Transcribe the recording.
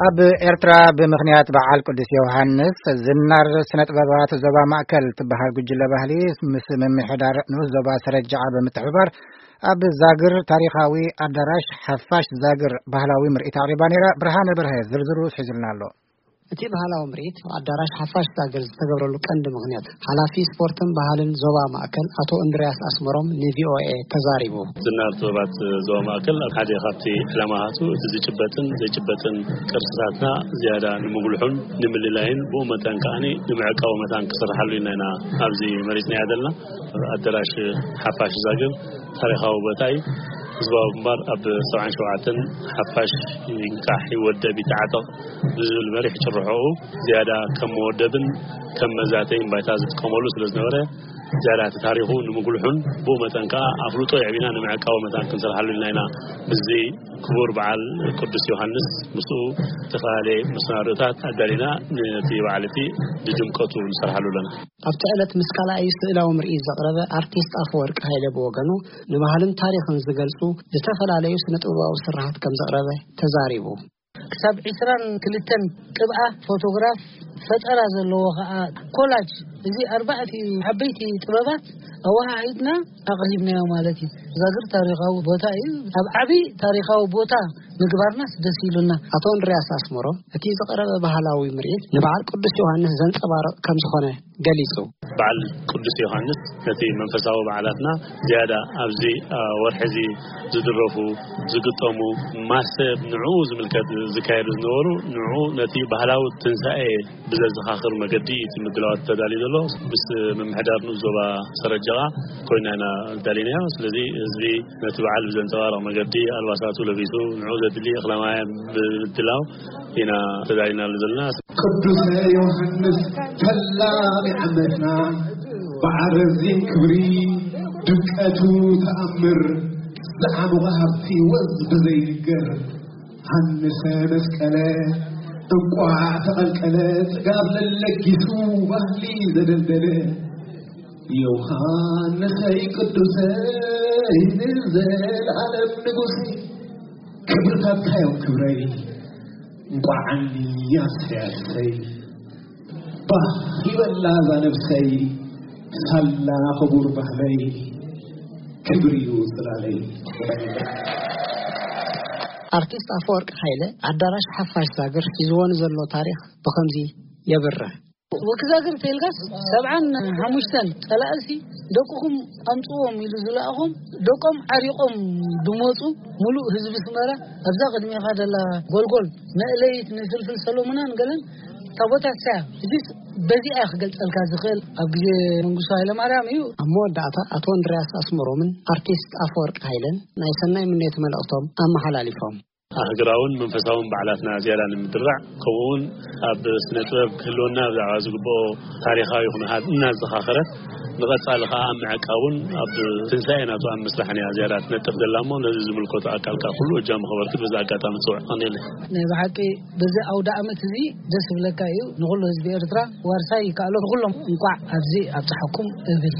ኣብ ኤርትራ ብምኽንያት በዓል ቅዱስ ዮሃንስ ዝናር ስነ ጥበባት ዞባ ማእከል ትበሃል ጉጅለ ባህሊ ምስ ምምሕዳር ንኡስ ዞባ ሰረጃዓ ብምትሕብባር ኣብ ዛግር ታሪኻዊ ኣዳራሽ ሓፋሽ ዛግር ባህላዊ ምርኢት ኣቕሪባ ነይራ። ብርሃነ በርሀ ዝርዝሩ ሒዙልና ኣሎ። እቲ ባህላዊ ምርኢት ኣዳራሽ ሓፋሽ ዛግር ዝተገብረሉ ቀንዲ ምኽንያት ሓላፊ ስፖርትን ባህልን ዞባ ማእከል ኣቶ እንድርያስ ኣስመሮም ንቪኦኤ ተዛሪቡ። ዝናር ጥበባት ዞባ ማእከል ሓደ ካብቲ ዕላማታቱ እቲ ዝጭበጥን ዘይጭበጥን ቅርስታትና ዝያዳ ንምጉልሑን ንምልላይን ብኡ መጠን ከኣ ንምዕቃቡ መታን ክስርሓሉ ኢና ኢና ኣብዚ መሪጽናያ ዘለና። ኣዳራሽ ሓፋሽ ዛግር ታሪኻዊ ቦታ እዩ። ህዝባዊ ግንባር ኣብ ሰብዓን ሸውዓተን ሓፋሽ ይንቃሕ ይወደብ ይተዓጠቕ ብዝብል መሪሕ ጭርሖኡ ዝያዳ ከም መወደብን ከም መዛተይን ባይታ ዝጥቀመሉ ስለ ዝነበረ ዝያዳ እቲ ታሪኹ ንምጉልሑን ብኡ መጠን ከኣ ኣፍልጦ የዕቢና ንምዕቃቡ መታን ክንሰርሓሉ ኢልና ኢና። ምስዚ ክቡር በዓል ቅዱስ ዮሃንስ ምስኡ ዝተፈላለየ መሰናዶታት ኣዳሊና ነቲ በዓል እቲ ብድምቀቱ ንሰርሓሉ ኣለና። ኣብቲ ዕለት ምስ ካልኣይ ስእላዊ ምርኢት ዘቕረበ ኣርቲስት ኣፈወርቂ ሃይለ ብወገኑ ንባህልን ታሪኽን ዝገልጹ ዝተፈላለዩ ስነ ጥበባዊ ስርሓት ከም ዘቕረበ ተዛሪቡ። ክሳብ ዕስራን ክልተን ቅብኣ ፎቶግራፍ ፈጠራ ዘለዎ ኸኣ ኮላጅ፣ እዚ ኣርባዕቲ ዓበይቲ ጥበባት ኣወሃሂድና ኣቕሪብናዮ ማለት እዩ። ዛግር ታሪኻዊ ቦታ እዩ። ኣብ ዓቢ ታሪኻዊ ቦታ ምግባርናስ ደስ ኢሉና። ኣቶ እንድርያስ ኣስመሮም እቲ ዝቐረበ ባህላዊ ምርኢት ንበዓል ቅዱስ ዮሃንስ ዘንጸባርቕ ከም ዝኾነ ገሊጹ። በዓል ቅዱስ ዮሃንስ ነቲ መንፈሳዊ በዓላትና ዝያዳ ኣብዚ፣ አ፣ ወርሒ እዚ ዝድረፉ፣ ዝግጠሙ፣ ማሰብ ንዕኡ ዝምልከት ዝካየዱ ዝነበሩ፣ ንዕኡ ነቲ ባህላዊ ትንሳኤ ብዘዘኻኽር መገዲ እቲ ምድላዋት ተዳልዩ ዘሎ። ምስ ምምሕዳር ንኡስ ዞባ ሰረጀቓ ኮይና ኢና ኣዳሊናዮ። ስለዚ ህዝቢ ነቲ በዓል ብዘንጸባርቕ መገዲ ኣልባሳቱ ለቢሱ፣ ንዕኡ ዘድሊ እኽለ ማይ ብምድላው ኢና ተዳሊናሉ ዘለና። ቅዱሰ ዮሃንስ ፈላሚ ዓመትና ብዓረዚን ክብሪ ድምቀቱ ተኣምር ዝዓሙቐ ሃብቲ ወዝ ብዘይንገር ሃንሰ መስቀለ እንቋዕ ተቐልቀለ ጽጋብ ለለጊሱ ባህሊ ዘደልደለ ዮሃንሰይ ቅዱሰይ ንዘለዓለም ንጉሰይ ክብርታትካ እዮም ክብረይ እንቋዕ ዓኒ ያሰያሰይ ባህ ይበላ እዛ ነብሰይ ሳላ ክቡር ባህለይ ክብር እዩ ጽላለይ። ኣርቲስት ኣፈወርቂ ሃይለ ኣዳራሽ ሓፋሽ ዛግር ሒዝዎ ንዘሎ ታሪኽ ብኸምዚ የብርህ። ወኪ ዛግር ተልካስ ሰብዓን ሓሙሽተን ጸላእሲ ደቅኹም ኣምጽዎም ኢሉ ዝለኣኹም ደቆም ዓሪቆም ድመጹ ሙሉእ ህዝቢ ስመራ ኣብዛ ቅድሜኻ ደላ ጎልጎል መእለይት ንፍልፍል ሰሎሙናን ገለን ታቦታት ሳያ እዚስ በዚኣ ክገልጸልካ ዝኽእል ኣብ ግዜ መንግስቱ ኃይለማርያም እዩ። ኣብ መወዳእታ ኣቶ እንድርያስ ኣስመሮምን ኣርቲስት ኣፈወርቂ ሃይለን ናይ ሰናይ ምንየት መልእኽቶም ኣመሓላሊፎም። ኣህግራውን መንፈሳውን በዓላትና ዝያዳ ንምድራዕ ከምኡውን ኣብ ስነ ጥበብ ክህልወና ብዛዕባ ዝግብኦ ታሪኻዊ ኩነታት እናዘኻኸረት ንቐጻሊ ከኣ ኣብ ምዕቃቡን ኣብ ትንሳኤ ናቱ ኣብ ምስራሕን እያ ዝያዳ ትነጥፍ ዘላ እሞ ነዚ ዝምልከቱ ኣካል ከኣ ኩሉ እጃሙ ከበርክት በዚ ኣጋጣሚ ጽውዕ ቀኒለ። ናይ ብሓቂ በዚ ኣውደ ዓመት እዚ ደስ ዝብለካ እዩ። ንኹሉ ህዝቢ ኤርትራ ዋርሳይ ይከኣሎ። ንኹሎም እንቋዕ ኣብዚ ኣብጽሓኩም እብል።